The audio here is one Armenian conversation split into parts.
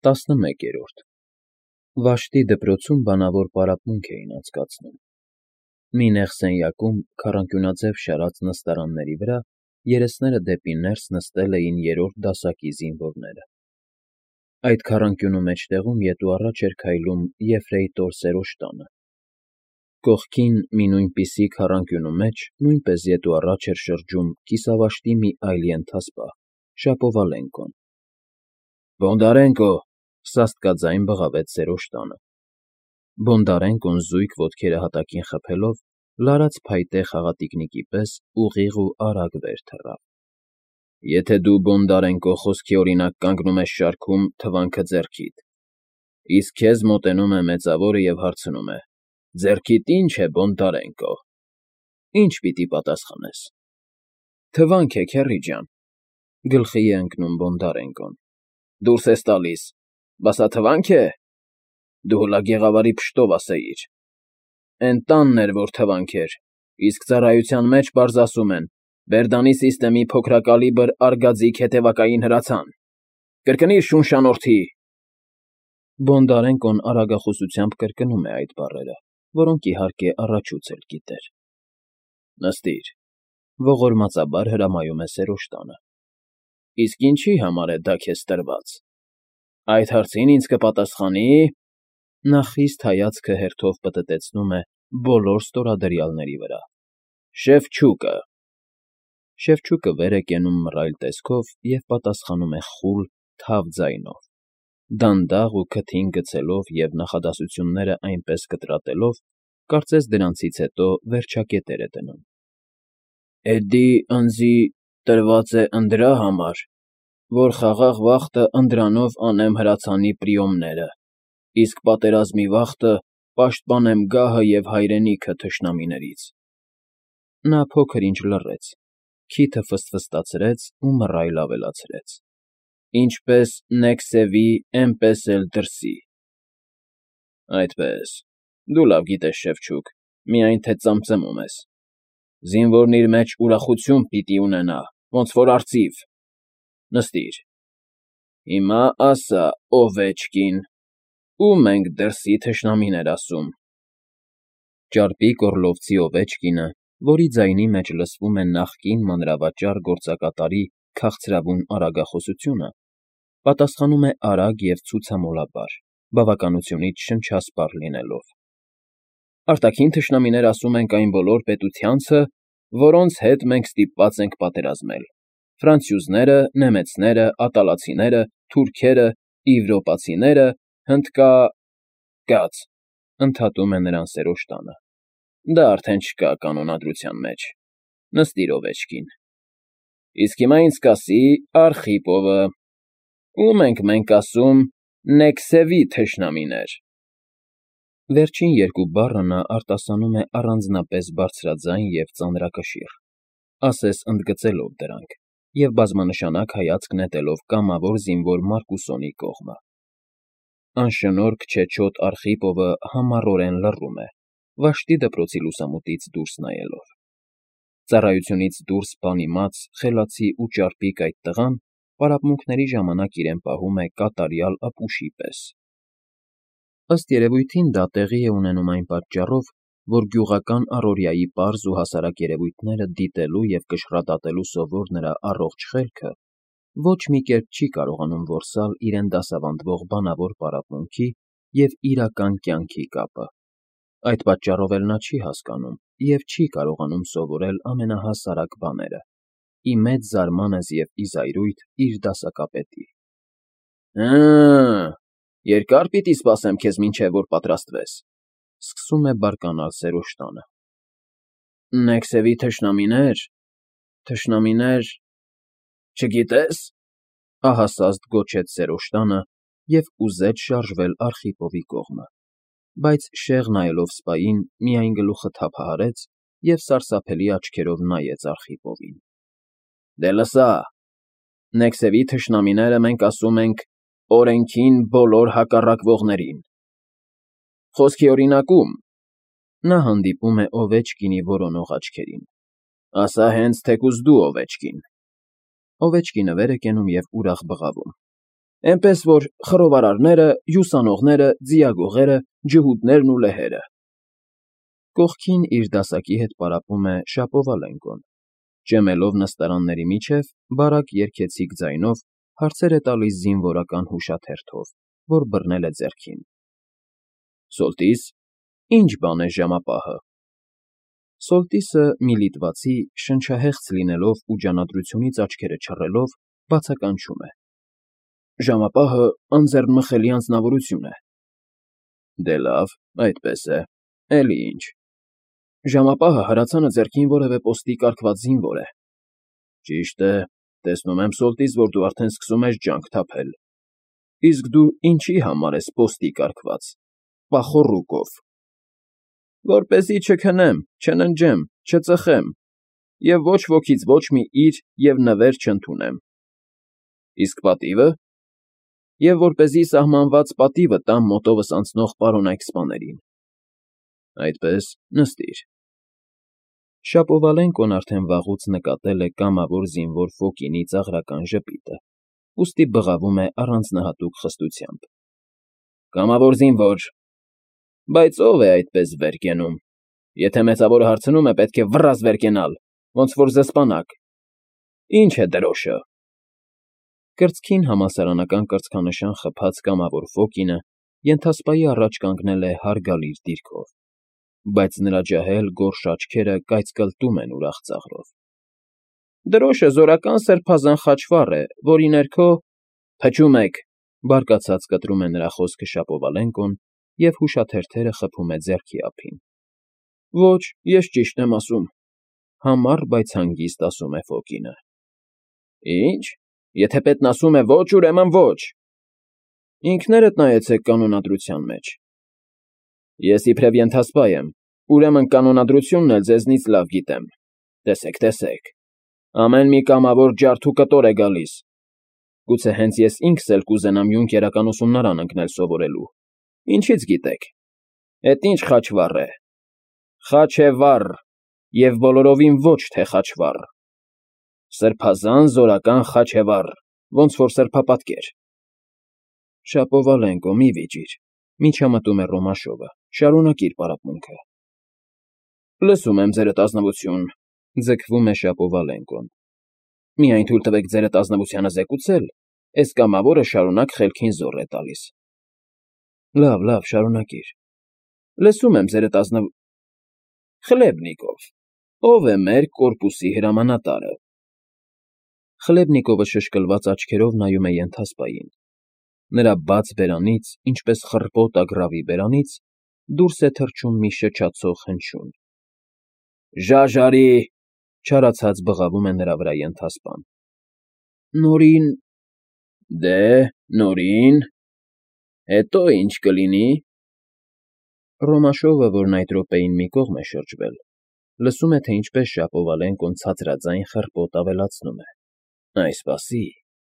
11-րդ Վաշտի դպրոցում բանավոր պարապմունք էին անցկացնում։ Մի նեղ սենյակում, քառանկյունաձև շարած նստարանների վրա, երեսները դեպի ներս նստել էին երրորդ դասակի զինվորները։ Այդ քառանկյունու մեջտեղում ետ ու առաջ էր քայլում եֆրեյտոր Սերոժտանը։ Կողքին, մի նույնպիսի քառանկյունու մեջ, նույնպես ետ ու առաջ էր շրջում կիսավաշտի մի այլ ենթասպա՝ Շապովալենկոն։ ֊ Բոնդարենկո,֊ սաստկաձայն բղավեց Սերոժտանը։ Բոնդարենկոն զույգ ոտքերը հատակին խփելով, լարած փայտե խաղատիկնիկի պես ուղիղ ու արագ վեր թռավ։ ֊ Եթե դու, Բոնդարենկո, խոսքի օրինակ կանգնում ես շարքում, թվանքը ձեռքիդ, իսկ քեզ մոտենում է մեծավորը և հարցնում է. «Ձեռքիդ ի՞նչ է, Բոնդարենկո», ի՞նչ պիտի պատասխանես։ ֊ Թվանք է, քեռի ջան,֊ գլխի է ընկնում Բոնդարենկոն։ ֊ Դուրս ես տալիս, բա սա թվանք է։ Դու հլա գեղավարի փշտով ասեիր. «Էն տանն էր, որ թվանք էր, իսկ ծառայության մեջ պարզ ասում են. Բերդանի սիստեմի փոքրակալիբր արգաձիկ հետևակային հրացան»։ Կրկնիր, շունշանորդի… Բոնդարենկոն արագախոսությամբ կրկնում է այդ բառերը, որոնք, իհարկե, առաջուց էլ գիտեր։ ֊ Նստիր,֊ ողորմածաբար հրամայում է Սերոժտանը։ ֊ Իսկ ինչի համար է դա քեզ տրված։ Այդ հարցին ինձ կպատասխանի… Նա խիստ հայացքը հերթով պտտեցնում է բոլոր ստորադրյալների վրա։ ֊ Շևչուկը… Շևչուկը վեր է կենում մռայլ տեսքով և պատասխանում է խուլ, թավ ձայնով, դանդաղ ու քթին գցելով և նախադասությունները այնպես կտրատելով, կարծես դրանցից հետո վերջակետեր է դնում։ ֊ Էդի ընձի տրված է ընդրա համար, որ խաղաղ վախտը ընդրանով անեմ հրացանի պրիոմները, իսկ պատերազմի վախտը պաշտպանեմ գահը և հայրենիքը թշնամիներից… Նա փոքր-ինչ լռեց, քիթը ֆսֆստացրեց ու մռայլ ավելացրեց. Ինչպես Նեքսևի, էնպես էլ դրսի… Այդպես, դու լավ գիտես, Շևչուկ, միայն թե ծամծմում ես… Զինվորն իր մեջ ուրախություն պիտի ունենա, ոնց որ արծիվ… Նստիր… Հիմա ասա, Օվեչկին, ո՞ւմ ենք դրսի թշնամիներ ասում… Ճարպիկ Օռլովցի Օվեչկինը, որի ձայնի մեջ լսվում է նախկին մանրավաճառ գործակատարի քաղցրավուն արագախոսությունը, պատասխանում է արագ և ցուցամոլաբար, բավականությունից շնչասպառ լինելով. Արտաքին թշնամիներ ասում ենք այն բոլոր պետությանցը, որոնց հետ մենք ստիպված ենք պատերազմել. ֆրանցյուզները, նեմեցները, ատալացիները, թուրքերը, իվրոպացիները, Կաց,֊ ընդհատում է նրան Սերոժտանը։ Դա արդեն չկա կանոնադրության մեջ… Նստիր, Օվեչկին… Իսկ հիմա ինձ կասի Արխիպովը. ո՞ւմ ենք մենք ասում Նեքսևի թշնամիներ… Վերջին երկու բառը նա արտասանում է առանձնապես բարձրաձայն և ծանրակշիռ, ասես ընդգծելով դրանք և բազմանշանակ հայացք նետելով կամավոր զինվոր Մարկուսոնի կողմը։ Անշնորհք չեչոտ Արխիպովը համառորեն լռում է, Վաշտի դպրոցի լուսամուտից դուրս նայելով։ Ծառայությունից դուրս բանիմաց, խելացի ու ճարպիկ այդ տղան պարապմունքների ժամանակ իրեն պահում է կատարյալ ապուշի պես։ Ըստ երևույթին դա տեղի է ունենում այն պատճառով, որ գյուղական առօրյայի պարզ ու հասարակ երևույթները դիտելու և կշռադատելու սովոր նրա առողջ խելքը ոչ մի կերպ չի կարողանում որսալ իրեն դասավանդող բանավոր պարապմունքի և իրական կյանքի կապը։ Այդ պատճառով էլ նա չի հասկանում և չի կարողանում սովորել ամենահասարակ բաները, ի մեծ զարմանս և ի զայրույթ իր դասակապետի։ Հը՜, երկա՞ր պիտի սպասեմ քեզ, մինչև որ պատրաստվես,֊ սկսում է բարկանալ Սերոժտանը։ Նեքսևի թշնամիներ, չգիտե՞ս,֊ ահասազդ գոչեց Սերոժտանը և ուզեց շարժվել Արխիպովի կողմը, բայց շեղ նայելով սպային, միայն գլուխը թափահարեց և սարսափելի աչքերով նայեց Արխիպովին։ Դե լսա, Նեքսևի թշնամիները մենք ասում ենք օրենքին բոլոր հակառակվողներին… Խոսքի օրինակում… Նա հանդիպում է Օվեչկինի որոնող աչքերին։ Ասա հենց թեկուզ դու, Օվեչկին… Օվեչկինը վեր է կենում և ուրախ բղավում։ Էնպես որ խռովարարները, հյուսանողները, ձիագողերը, ջհուդներն ու լեհերը։ Կողքին իր դասակի հետ պարապում է Շապովալենկոն, ճեմելով նստարանների միջև բարակ երգեցիկ ձայնով հարցեր է տալիս զինվորական հուշաթերթով, որ բռնել է ձեռքին։ Սոլտիս, ի՞նչ բան է ժամապահը։ Սոլտիսը մի լիտվացի, շնչահեղձ լինելով ու ջանադրությունից աչքերը չռելով, բացականչում է. Ժամապահը անձեռնմխելի անձնավորություն է։ Դե լավ, այդպես է, էլի ինչ։ Ժամապահը հրացանը ձեռքին որևէ պոստի կարգված զինվոր է։ Ճիշտ է, տեսնում եմ Սոլտիս, որ դու արդեն սկսում ես ջանք թափել։ Իսկ դու ինչի համար ես պոստի կարգված, պախոռուկով։ Որպեսզի չքնեմ, չննջեմ, չծխեմ, և ոչ ոքից ոչ մի իր և նվեր չընդունեմ։ Իսկ պատիվը։ Եվ որպեսզի սահմանված պատիվը տամ մոտովս անցնող պարոնայք սպաներին։ Այդպես, նստիր։ Շապովալենկոն արդեն վաղուց նկատել է կամավոր զինվոր Ֆոկինի ծաղրական ժպիտը, ուստի բղավում է առանձնահատուկ խստությամբ։ Կամավոր զինվոր։ Բայց ով է այդպես վեր կենում։ Եթե մեծավորը հարցնում է, պետք է վռազդ վեր կենալ, ոնց որ զսպանակ։ Ինչ է դրոշը։ Կրծքին համալսարանական կրծքանշան խփած կամավոր Ֆոկինը ենթասպայի առաջ կանգնել է հարգալից դիրքով, բայց նրա ջահել գորշ աչքերը կայծկլտում են ուրախ ծաղրով։ Դրոշը զորական սրբազան խաչվառ է, որի ներքո… Փչում եք, բարկացած կտրում է նրա խոսքը Շապովալենկոն և հուշաթերթերը խփում է ձեռքի ափին։ Ոչ, ես ճիշտ եմ ասում, համառ, բայց հանգիստ ասում է Ֆոկինը։ Ինչ, եթե պետն ասում է ոչ, ուրեմն ոչ։ Ինքներդ նայեցեք կանոնադրության մեջ։ Ես իբրև ենթասպա եմ, ուրեմն կանոնադրությունն էլ ձեզնից լավ գիտեմ։ Տեսեք, տեսեք, ամեն մի կամավոր ջարդ ու կտոր է գալիս։ Գուցե հենց ես ինքս էլ կուզենամ յունկերական ուսումնարան ընկնել սովորելու։ Ինչից գիտեք։ Էդ ինչ խաչվառ է։ Խաչ է վառ, և բոլորովին ոչ թե խաչվառ։ Սրբազան զորական խաչ է վառ, ոնց որ սրբապատկեր։ Շապովալենկո, մի վիճիր, միջամտում է Ռոմաշովը, շարունակիր պարապմունքը։ Լսում եմ, ձերդ ազնվություն, ձգվում է Շապովալենկոն։ Միայն թույլ տվեք ձերդ ազնվությանը զեկուցել, էս կամավորը շարունակ խելքին զոռ է տալիս։ Լավ, շարունակիր։ Լսում եմ, ձերդ ազնվ… Խլեբնիկով, ով է մեր կորպուսի հրամանատարը։ Խլեբնիկովը շշկլված աչքերով նայում է ենթասպային։ Նրա բաց բերանից, ինչպես խռպոտ ագռավի բերանից, դուրս է թռչում մի շչացող հնչյուն։ Ժաժարի, չարացած բղավում է նրա վրա ենթասպան։ Նորին… Դե, նորին… Հետո ինչ կլինի։ Ռոմաշովը, որն այդ րոպեին մի կողմ է շրջվել, լսում է, թե ինչպես Շապովալենկոն ցածրաձայն խռպոտ ավելացնում է. Այսպասի,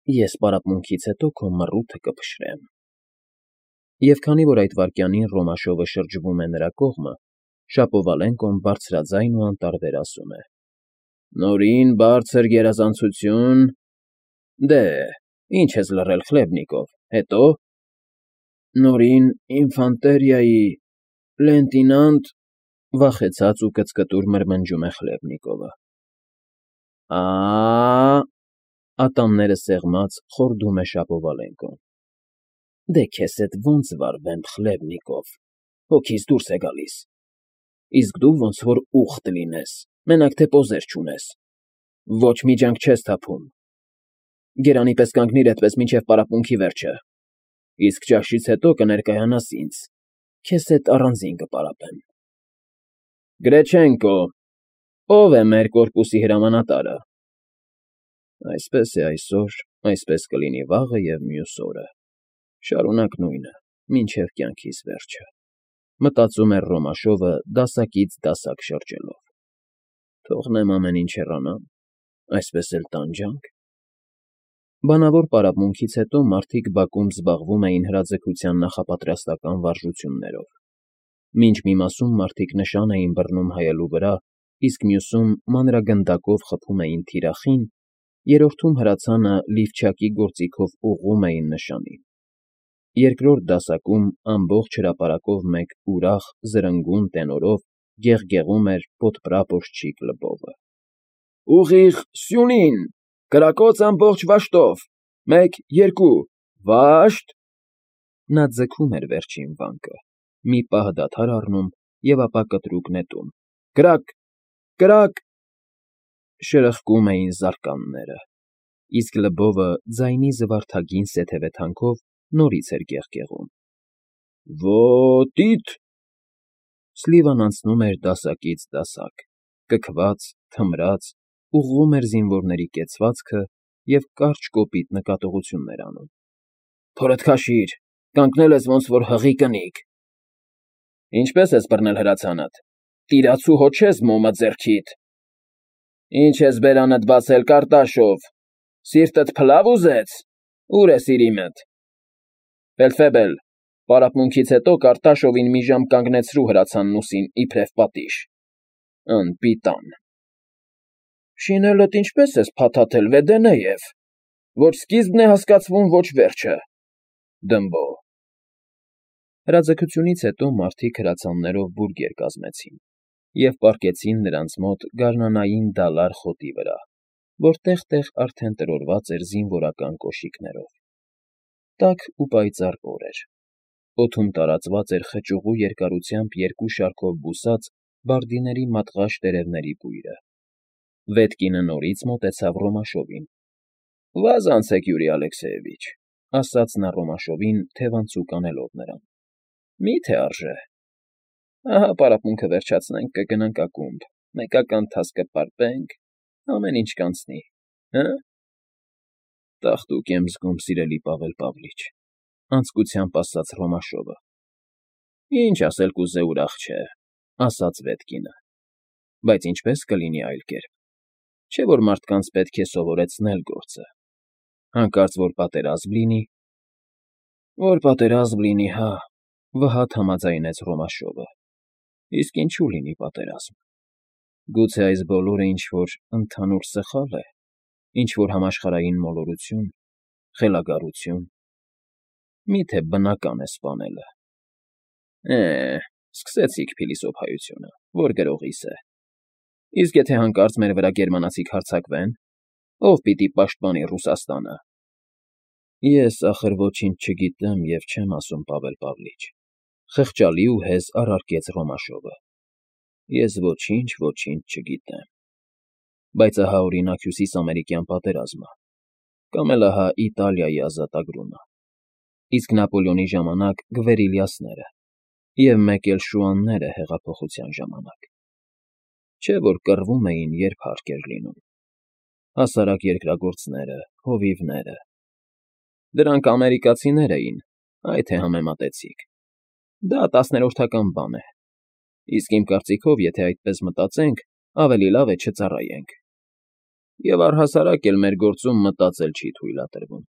ես պարապմունքից հետո քո մռութը կփշրեմ։ Եվ քանի որ այդ վայրկյանին Ռոմաշովը շրջվում է նրա կողմը, Շապովալենկոն բարձրաձայն ու անտարբեր ասում է. Նորին բարձր գերազանցություն… Դե, ինչ ես լռել, Խլեբնիկով, հետո… Նորին ինֆանտերիայի… լեյտենանտ… Վախեցած ու կծկտուր մրմնջում է Խլեբնիկովը։ Ա… Ատամները սեղմած խորդում է Շապովալենկոն։ Դե քեզ հետ ոնց վարվեմ, Խլեբնիկով, հոգիս դուրս է գալիս։ Իսկ դու ոնց որ ուղտ լինես, մենակ թե պոզեր չունես։ Ոչ մի ջանք չես թափում։ Գերանի պես կանգնիր այդպես մինչև պարապմունքի վերջը։ Իսկ ճաշից հետո կներկայանաս ինձ, քեզ հետ առանձին կպարապեմ։ Գրեչենկո, ով է մեր կորպուսի հրամանատարը։ Այսպես է այսօր, այսպես կլինի վաղը և մյուս օրը։ Շարունակ նույնը, մինչև կյանքիս վերջը։ Մտածում էր Ռոմաշովը դասակից դասակ շրջելով։ Թողնեմ ամեն ինչ հեռանան, այսպես էլ տանջանք։ Բանավոր պարապմունքից հետո մարդիկ բակում զբաղվում էին հրաձգության նախապատրաստական վարժություններով։ Մինչ մի մասում մարդիկ նշան էին բռնում հայելու վրա, իսկ մյուսում մանրագնդակով խփում էին թիրախին, Երրորդում հրացանը լիվչակի գործիքով ուղղում էին նշանին։ Երկրորդ դասակում ամբողջ հրապարակով մեկ ուրախ, զրնգուն տենորով գեղգեղում էր պոդպրապորչիկ Լվովը. «Ուղիղ սյունին, կրակոց ամբողջ վաշտով, 1, 2, վաշտ»։ Նա ձգում էր վերջին վանկը, մի պահ դադար առնում և ապա կտրուկ նետում. «Կրակ, կրակ»։ Շրխկում էին զարկանները, իսկ Լվովը ձայնի զվարթագին սեթևեթանքով նորից էր գեղգեղում. «Ո՛տիտ»։ Սլիվան անցնում էր դասակից դասակ, կքված, թմրած, ուղղում էր զինվորների կեցվածքը և կարճ կոպիտ նկատողություններ անում. «Փորդ քաշիր, կանգնել ես ոնց որ հղի կնիկ»։ «Ինչպե՞ս ես բռնել հրացանդ, տիրացու հո չես մոմը ձեռքիդ»։ «Ինչ ես բերանդ բացել, Կարտաշով, սիրտդ փլավ ուզեց, ուր է Սիրիմդ»։ «Ֆելդֆեբել, պարապմունքից հետո Կարտաշովին մի ժամ կանգնեցրու հրացանն ուսին իբրև պատիժ»։ «Անպիտան»։ «Շինելդ ինչպե՞ս ես փաթաթել, Վեդենեև, ոչ սկիզբն է հասկացվում, ոչ վերջը, Դմբո»։ Հրաձգությունից հետո մարդիկ հրացաններով բուրգեր կազմեցին և պառկեցին նրանց մոտ գարնանային դալար խոտի վրա, որ տեղ֊տեղ արդեն տրորված էր զինվորական կոշիկներով։ Տաք ու պայծառ օր էր։ Օդում տարածված էր խճուղու երկարությամբ 2 շարքով բուսած բարդիների մատղաշ տերևների բույրը։ Վետկինը նորից մոտեցավ Ռոմաշովին։ «Վազ անցեք, Յուրի Ալեքսեևիչ», ասաց նա Ռոմաշովին, թևանցուկ անելով նրան։ «Մի՞թե արժե։ Ահա պարապմունքը վերջացնենք, կգնանք ակումբ, մեկական թաս կպարպենք, ամեն ինչ կանցնի, հը՞»։ «Տաղտուկ եմ զգում, սիրելի Պավել Պավլիչ», անձկությամբ ասաց Ռոմաշովը։ «Ինչ ասել կուզե, ուրախ չէ», ասաց Վետկինը։ «Բայց ինչպե՞ս կլինի այլ կերպ։ Չէ՞ որ մարդկանց պետք է սովորեցնել գործը։ Հանկարծ որ պատերազմ լինի»։ «Որ պատերազմ լինի, հա», վհատ համաձայնեց Ռոմաշովը։ «Իսկ ինչու լինի պատերազմ։ Գուցե այս բոլորը ինչ֊որ ընդհանուր սխա՞լ է, ինչ֊որ համաշխարհային մոլորություն, խելագարություն։ Մի՞թե բնական է սպանելը։ Սկսեցիք փիլիսոփայությունը, որ գրողիս է։ Իսկ եթե հանկարծ մեր վրա գերմանացիք հարձակվեն, ո՞վ պիտի պաշտպանի Ռուսաստանը»։ «Ես, ախր, ոչինչ չգիտեմ և չեմ ասում, Պավել Պավլիչ», խղճալի ու հեզ առարկեց Ռոմաշովը։ «Ես ոչինչ չգիտեմ։ Բայց ահա, օրինակ, Հյուսիսամերիկյան պատերազմը, կամ էլ ահա Իտալիայի ազատագրումը, իսկ Նապոլեոնի ժամանակ գվերիլյասները և մեկ էլ շուանները հեղափոխության ժամանակ։ Չէ՞ որ կռվում էին, երբ հարկ էր լինում։ Հասարակ երկրագործները, հովիվները։ Դրանք ամերիկացիներ էին, այ թե համեմատեցիք։ Դա 10-րդական բան է։ Իսկ իմ կարծիքով, եթե այդպես մտածենք, ավելի լավ է չծառայենք։ Եվ առհասարակ էլ մեր գործում մտածել չի թույլատրվում։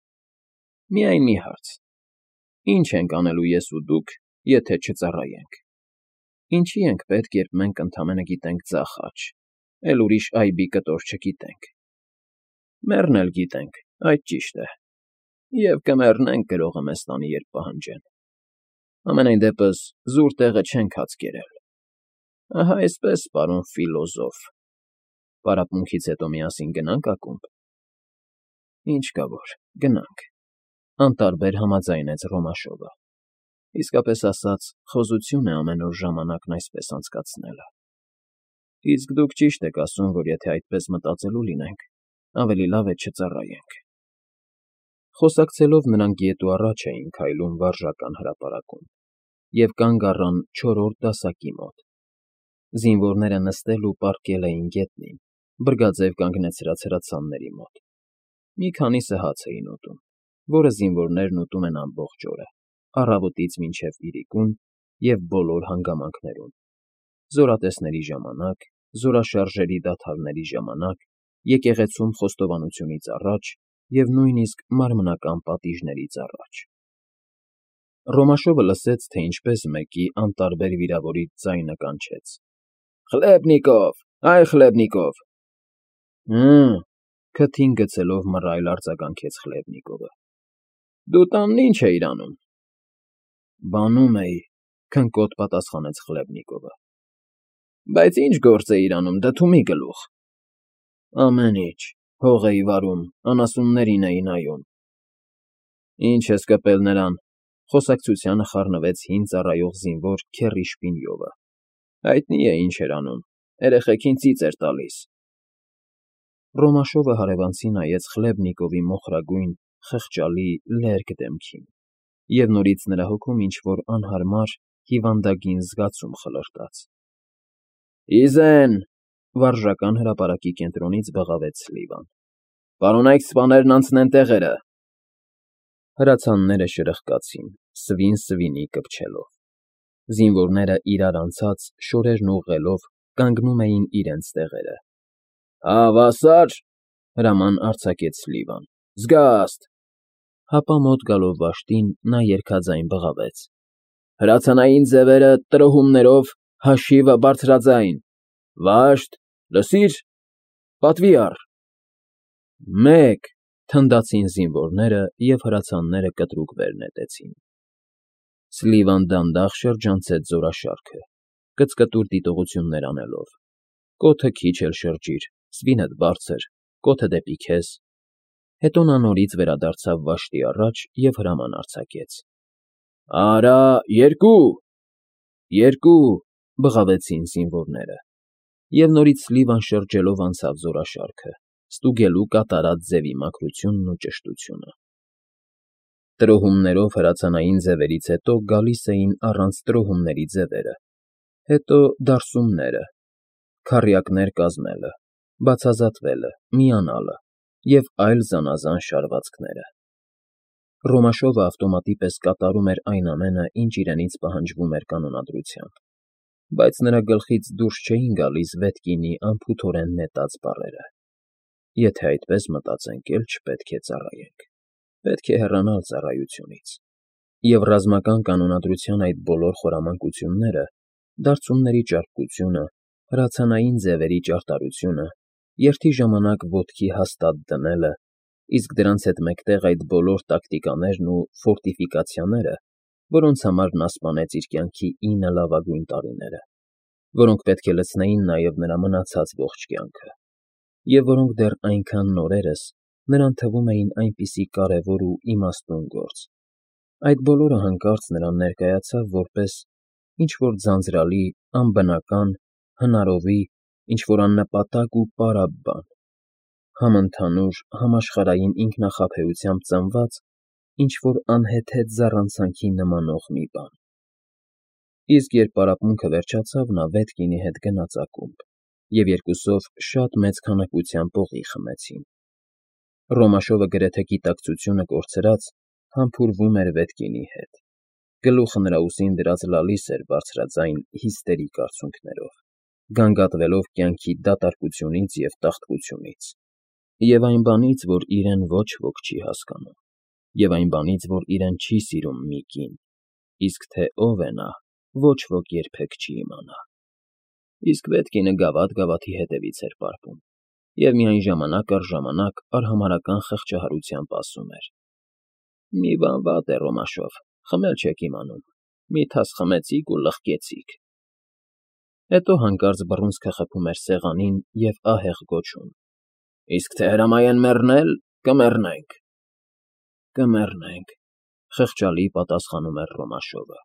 Միայն մի հարց. ի՞նչ ենք անելու ես ու դուք, եթե չծառայենք։ Ինչի ենք պետք, երբ մենք ընդամենը գիտենք ձախ աջ, էլ ուրիշ այբի կտոր չգիտենք։ Մեռնել գիտենք, այդ ճիշտ է, և կմեռնենք գրողը մեզ տանի, երբ պահանջեն։ Համենայն դեպս զուր տեղը չենք հաց կերել։ Ահա այսպես, պարոն ֆիլոզոֆ, պարապմունքից հետո միասին գնա՞նք ակումբ։ Ինչ կա որ, գնանք, անտարբեր համաձայնեց Ռոմաշովը։ Իսկապես ասած, խոզություն է ամեն օր ժամանակն այսպես անցկացնելը։ Իսկ դուք ճիշտ եք ասում, որ եթե այդպես մտածելու լինենք, ավելի լավ է չծառայենք։ Խոսակցելով նրանք ետ ու առաջ էին քայլում վարժական հրապարակում և կանգ առան 4-րդ դասակի մոտ։ Զինվորները նստել ու պառկել էին գետնին, բրգաձև կանգնեցրած հրացանների մոտ։ Մի քանիսը հաց էին ուտում, որը զինվորներն ուտում են ամբողջ օրը, առավոտից մինչև իրիկուն և բոլոր հանգամանքներում՝ զորատեսների ժամանակ, զորաշարժերի դադարների ժամանակ, եկեղեցում խոստովանությունից առաջ և նույնիսկ մարմնական պատիժներից առաջ։ Ռոմաշովը լսեց, թե ինչպես մեկի անտարբեր վիրավորիչ ձայնը կանչեց. «Խլեբնիկով, այ Խլեբնիկով»։ Քթին գցելով մռայլ արձագանքեց Խլևնիկովը։ Դու տանն ինչ էիր անում։ Բանում էի, քնկոտ պատասխանեց Խլևնիկովը։ Բայց ինչ գործ էիր անում, դդումի գլուխ։ Ամեն ինչ, հող էի վարում, անասուններին էի նայում։ Ինչ ես կպել նրան, խոսակցությանը խառնվեց հին ծառայող զինվոր Քեռի Շպինյովը։ Հայտնի է ինչ էր անում, երեխեքին ծիծ էր տալիս։ Ռոմաշովը հարևանցի նայեց Խլևնիկովի մոխրագույն, խղճալի, լերկ դեմքին, և նորից նրա հոգում ինչ-որ անհարմար, հիվանդագին զգացում խլրտաց։ Իզեն, վարժական հրապարակի կենտրոնից բղավեց Սլիվան։ Պարոնայք սպաներն անցնեն տեղերը։ Հրացանները շրխկացին, սվին սվինի կպչելով։ Զինվորները իրար անցած, շորերն ուղղելով, կանգնում էին իրենց տեղերը։ Հավասար, հրաման արձակեց Սլիվան։ Զգաստ։ Հապա մոտ գալով վաշտին նա երգաձայն բղավեց. Հրացանային ձևերը տրոհումներով հաշիվը բարձրաձայն։ Վաշտ, լսիր, պատվի առ։ Մեկ, թնդացին զինվորները և հրացանները կտրուկ վեր նետեցին։ Սլիվան դանդաղ շրջանցեց զորաշարքը, կծկտուր դիտողություններ անելով։ Կոթը քիչ էլ շրջիր, սվինդ բարձր, կոթը դեպի քեզ։ Հետո նա նորից վերադարձավ վաշտի առաջ և հրաման արձակեց. Արա, երկու, բղավեցին զինվորները, և նորից Սլիվան շրջելով անցավ զորաշարքը, ստուգելու կատարած ձևի մաքրությունն ու ճշտությունը։ Տրոհումներով հրացանային ձևերից հետո գալիս էին առանց տրոհումների ձևերը, հետո դարսումները, քառյակներ կազմելը, բացազատվելը, միանալը և այլ զանազան շարվածքները։ Ռոմաշովը ավտոմատի պես կատարում էր այն ամենը, ինչ իրենից պահանջվում էր կանոնադրությամբ, բայց նրա գլխից դուրս չէին գալիս Վետկինի անփութորեն նետած բառերը. Եթե այդպես մտածենք, էլ չպետք է ծառայենք, պետք է հեռանալ ծառայությունից։ Եվ ռազմական կանոնադրության այդ բոլոր խորամանկությունները, դարձումների ճարպկությունը, հրացանային ձևերի ճարտարությունը, երթի ժամանակ ոտքի հաստատ դնելը, իսկ դրանց հետ մեկտեղ այդ բոլոր տակտիկաներն ու ֆորտիֆիկացիաները, որոնց համար նա սպանեց իր կյանքի 9 լավագույն տարիները, որոնք պետք է լցնեին նաև նրա մնացած ողջ կյանքը, և որոնք դեռ այնքան նորերս նրան թվում էին այնպիսի կարևոր ու իմաստուն գործ, այդ բոլորը հանկարծ նրան ներկայացավ որպես ինչ-որ ձանձրալի, անբնական, հնարովի, ինչ-որ աննպատակ ու պարապ բան, համընդհանուր, համաշխարհային ինքնախաբեությամբ ծնված ինչ-որ անհեթեթ զառանցանքի նմանող մի բան։ Իսկ երբ պարապմունքը վերջացավ, նա Վետկինի հետ գնաց ակումբ, և երկուսով շատ մեծ քանակությամբ օղի խմեցին։ Ռոմաշովը գրեթե գիտակցությունը կորցրած, համբուրվում էր Վետկինի հետ։ Գլուխը նրա ուսին դրած լալիս էր բարձրաձայն հիստերիկ արցունքներով, գանգատվելով կյանքի դատարկությունից և տաղտկությունից, և այն բանից, որ իրեն ոչ ոք չի հասկանում, և այն բանից, որ իրեն չի սիրում մի կին, իսկ թե ով է նա, ոչ ոք երբեք չի իմանա։ Իսկ Վետկինը գավաթ-գավաթի հետևից էր պարպում, և միայն ժամանակ առ ժամանակ արհամարհական խղճահարությամբ ասում էր. Մի բան վատ է, Ռոմաշով, խմել չեք իմանում, մի թաս խմեցիք ու լղկեցիք։ Հետո հանկարծ բռունցքը խփում էր սեղանին և ահեղ գոչում. Իսկ թե հրամայեն մեռնել, կմեռնենք։ Կմեռնենք, խղճալի պատասխանում էր Ռոմաշովը։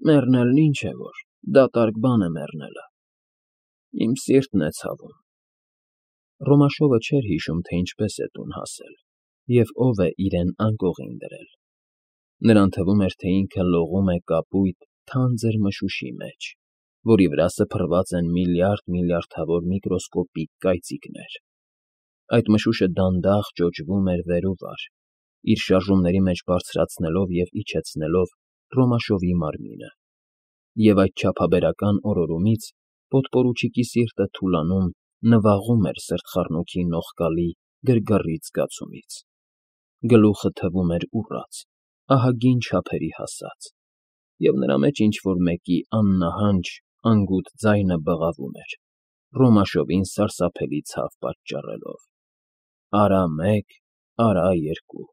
Մեռնելն ինչ է որ, դատարկ բան է մեռնելը։ Իմ սիրտն է ցավում։ Ռոմաշովը չէր հիշում, թե ինչպես է տուն հասել, և ով է իրեն անկողին դրել։ Նրան թվում էր, թե ինքը լողում է կապույտ, թանձր մշուշի մեջ, որի վրա սփռված են միլիարդավոր միկրոսկոպիկ կայծիկներ։ Այդ մշուշը դանդաղ ճոճվում էր վեր ու վար, իր շարժումների մեջ բարձրացնելով և իջեցնելով Ռոմաշովի մարմինը, և այդ չափաբերական օրորումից պոտպորուչիկի սիրտը թուլանում, նվաղում էր սրտխառնոքի նողկալի, գրգռիչ զգացումից։ Գլուխը թվում էր ուռած, ահագին չափերի հասած, և նրա մեջ ինչ֊որ մեկի աննահանջ, անգութ ձայնը բղավում էր, Ռոմաշովին սարսափելի ցավ պատճառելով։ Արա մեկ, արա երկու։